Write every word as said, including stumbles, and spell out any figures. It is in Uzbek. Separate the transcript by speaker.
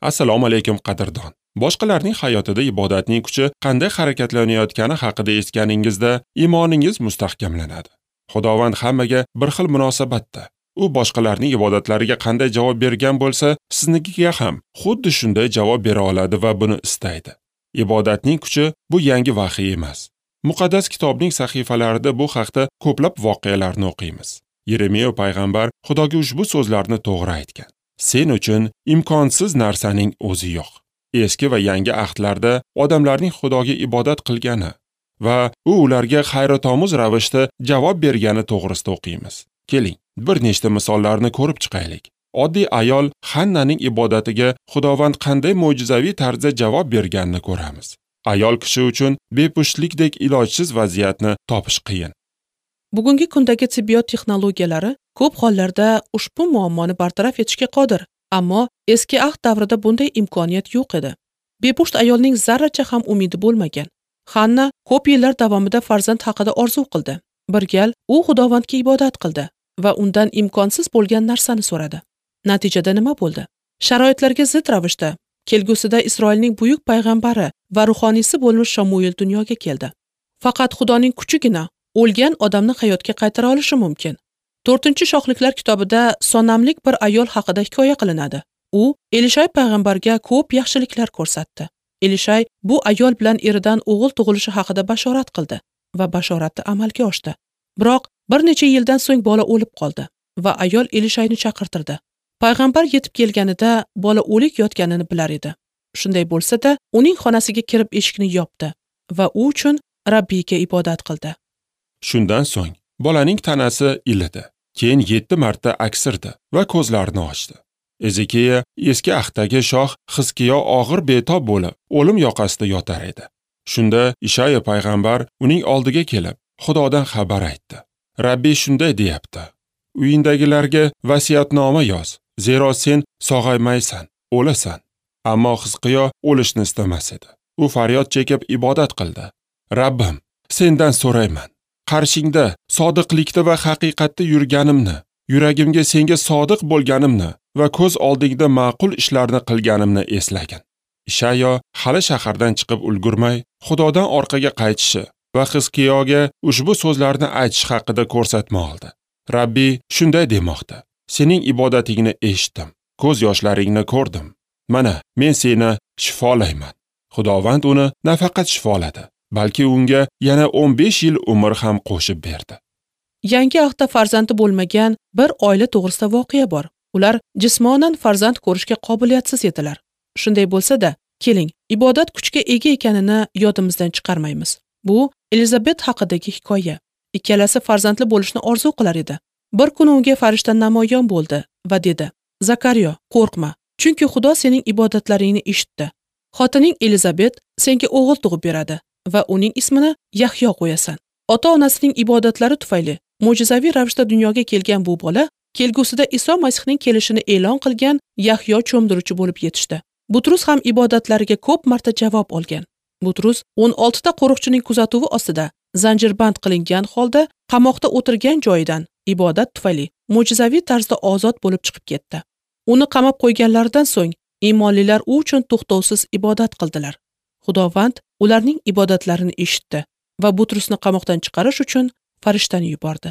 Speaker 1: Assalomu alaykum qadrdon. Boshqalarning hayotida ibodatning kuchi qanday harakatlanayotgani haqida eshitganingizda iymoningiz mustahkamlanadi. Xudovand hammaga bir xil munosabatda. U boshqalarning ibodatlariga qanday javob bergan bo'lsa, siznikiga ham xuddi shunday javob bera oladi va buni istaydi. Ibodatning kuchi bu yangi vahiy emas. Muqaddas kitobning sahifalarida bu haqda ko'plab voqealarni o'qiymiz. Yeremiya payg'ambar Xudoga ushbu so'zlarni to'g'ri aytgan. Sen uchun imkonsiz narsaning o'zi yo'q. Eski va yangi ahdlarda odamlarning Xudoga ibodat qilgani va u ularga hayratomuz ravishda javob bergani to'g'risida o'qiymiz. Keling, bir nechta misollarni ko'rib chiqaylik. Oddiy ayol Hannaning ibodatiga Xudovand qanday mo'jizaviy tarzda javob berganini ko'ramiz. Ayol kishi uchun bepushtlikdek ilojsiz vaziyatni topish qiyin.
Speaker 2: Bugungi kundagi tibbiyot texnologiyalari ko'p hollarda ushbu muammoni bartaraf etishga qodir, ammo eski ahd davrida bunday imkoniyat yo'q edi. Bepusht ayolning zarracha ham umidi bo'lmagan. Hanna ko'p yillar davomida farzand haqida orzu qildi. Bir gal u Xudovandga ibodat qildi va undan imkonsiz bo'lgan narsani so'radi. Natijada nima bo'ldi? Sharoitlarga zid ravishda kelgusida Isroilning buyuk payg'ambari va ruhoniysi bo'lmish Shamuil dunyoga keldi. Faqat Xudoning kuchigina o'lgan odamni hayotga qaytara olishi mumkin. To'rtinchi Shohliklar kitobida sonamlik bir ayol haqida hikoya qilinadi. U Elishay payg'ambarga ko'p yaxshiliklar ko'rsatdi. Elishay bu ayol bilan eridan o'g'il tug'ilishi haqida bashorat qildi va bashorati amalga oshdi. Biroq bir necha yildan so'ng bola o'lib qoldi va ayol Elishayni chaqirtirdi. Payg'ambar yetib kelganida bola o'lik yotganini bilar edi. Shunday bo'lsa-da, uning xonasiga kirib eshikni yopdi va u uchun Rabbiyga ibodat qildi.
Speaker 1: Shundan so'ng bolaning tanasi ilidi. Keyin yetti marta aksirdi va ko'zlarini ochdi. Ezekiya eski ahdagi shoh Xizkiyo og'ir betob bo'lib, o'lim yoqasida yotar edi. Shunda Ishaya payg'ambar uning oldiga kelib, Xudodan xabar aytdi. Rabbiy shunday deyapti: Uyindagilarga vasiyatnoma yoz, zero sen sog'aymaysan, o'lasan. Ammo Xizqiyo o'lishni istamas edi. U faryod chekib ibodat qildi. Rabbim, sendan so'rayman. Qarshingda sodiqlikda va haqiqatda yurganimni, yuragimga senga sodiq bo'lganimni va ko'z oldingda ma'qul ishlarni qilganimni eslagin. Ishayo hali shahardan chiqib ulgurmay, Xudodan orqaga qaytishi va Xizqiyoga ushbu so'zlarni aytish haqida ko'rsatma oldi. Rabbiy shunday demoqda: Sening ibodatingni eshitdim, ko'z yoshlaringni ko'rdim. Mana, men seni shifolayman. Xudovand uni nafaqat shifoladi, balki unga yana o'n besh yil umr ham qo'shib berdi.
Speaker 2: Yangi ahdda farzandi bo'lmagan bir oila to'g'risida voqea bor. Ular jismonan farzand ko'rishga qobiliyatsiz edilar. Shunday bo'lsa-da, keling, ibodat kuchga ega ekanini yodimizdan chiqarmaymiz. Bu Elizabet haqidagi hikoya. Ikkalasi farzandli bo'lishni orzu qilar edi. Bir kuni unga farishta namoyon bo'ldi va dedi: Zakariyo, qo'rqma, chunki Xudo sening ibodatlaringni eshitdi. Xotining Elizabet senga o'g'il tug'ib beradi va uning ismini Yahyo qo'yasan. Ota-onasining ibodatlari tufayli mo'jizaviy ravishda dunyoga kelgan bu bola kelgusida Iso Masihning kelishini e'lon qilgan Yahyo cho'mdiruvchi bo'lib yetishdi. Butrus ham ibodatlariga ko'p marta javob olgan. Butrus o'n oltita qo'riqchining kuzatuvi ostida zanjirband qilingan holda qamoqda o'tirgan joyidan ibodat tufayli mo'jizaviy tarzda ozod bo'lib chiqib ketdi. Uni qamab qo'yganlaridan so'ng iymonlilar u uchun to'xtovsiz ibodat qildilar. Xudovand ularning ibodatlarini eshitdi va Butrusni qamoqdan chiqarish uchun farishtani yubordi.